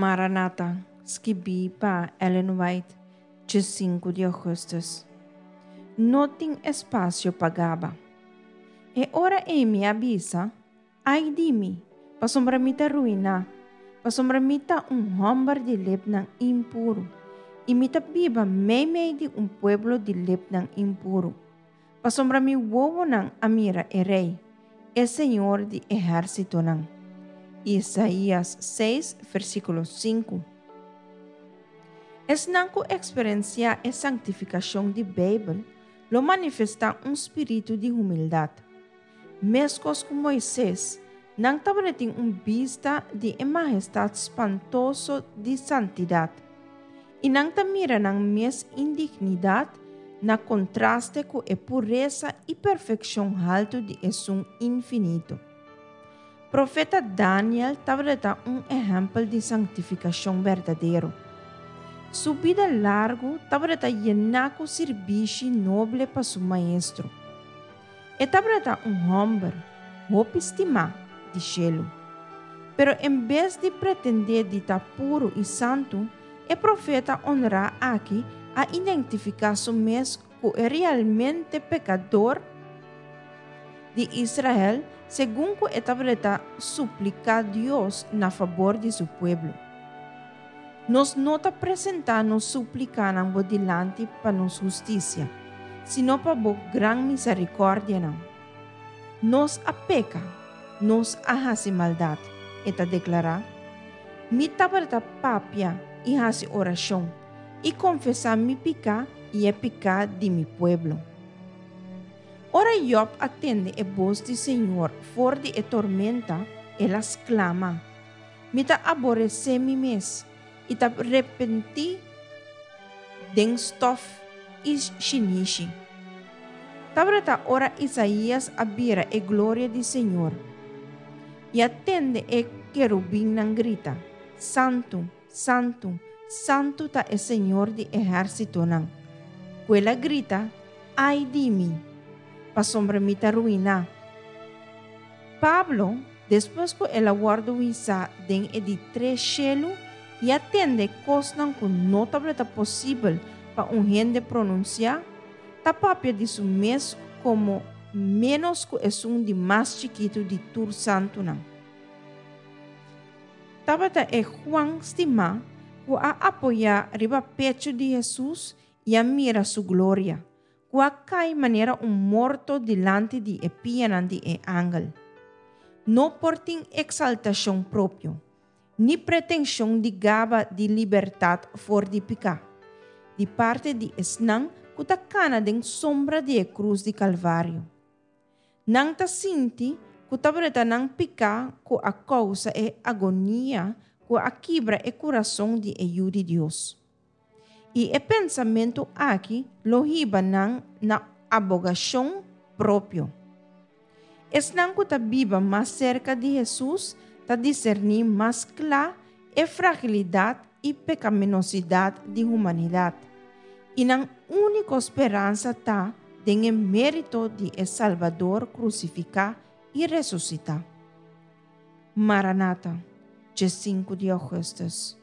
Maranata, skibí pa Ellen White, 5 di ougùstùs. No tin espasio pa gaba. E ora ei mi a bisa, Ai di mi, pasobra mi ta ruiná, pasobra mi ta un hòmber di lepnan impuru, i mi ta biba meimei di un pueblo di lepnan impuru, pasobra mi wowonan a mira e Rei, e Señor di ehérsitonan. Isaías 6, versíkulo 5. Esnan ku eksperensiá e sanktifikashon di Beibel lo manifestá un spiritu di humildat. Meskos ku Moises, nan tabatin un bista di e mahestat spantoso di santidat, i nan ta mira nan mes indignidat na kontraste ku e puresa i perfekshon haltu di Esun Infinito. Profeta Daniel tabata un ehèmpel di sanktifikashon berdadero. Su bida largu tabata yená ku sirbishi noble pa su Maestro. E tabata un hòmber hopi stimá di shelu. Pero en bes di pretendé di ta puru i santu, e profeta onrá aki a identifiká su mes ku e realmente pekador di Israel segun ku e tabata supliká Dios na fabor di su pueblo. Nos no ta presentá nos súplikanan bo dilanti pa nos hustisia, sino pa bo gran miserikòrdianan. Nos a peka, nos a hasi maldat, e ta deklará. Mi tabata papia i hasi orashon i konfesá mi piká i e piká di mi pueblo. Ora Yòb a tende e bos di señor for di e tormenta, el a sklama, Mi ta aboresé mi mes i ta repentí den stòf i shinishi. Tabata ora Isaías a bira e gloria di señor i a tende e kerubinnan grita, Santu, Santu, santu ta e Señor di ehérsitonan! Ku el a grita, Ai di mi! Pasobra mi ta ruiná. Pablo, despues ku el a wòrdu wisá den e di tres shelu i a tende kosnan ku no tabata posibel pa un hende pronunsiá, ta papia di su mes komo ménos ku esun di mas chikitu di tur santunan. Tabata e Juan stimá ku a apoyá riba pechu di Hesus i a mira su gloria, ku a kai manera un morto dilanti di e pianan di e angel. No por tin eksaltashon propio, ni pretenshon di gaba di libertat for di piká, di parti di esnan ku ta kana den sombra di e krus di Kalvario. Nan ta sinti ku tabata nan piká ku a kousa e agonia ku a kibra e kurason di e Yu di Dios. I e pensamentu aki lo hiba nan na abogashon propio. Esnan ku ta biba mas serka di Hesus ta diserní mas kla e fragilidat i pekaminosidat di humanidat, i nan úniko speransa ta den e mérito di e Salbador krusifiká i resusitá. Maranata, 5 di ougùstùs.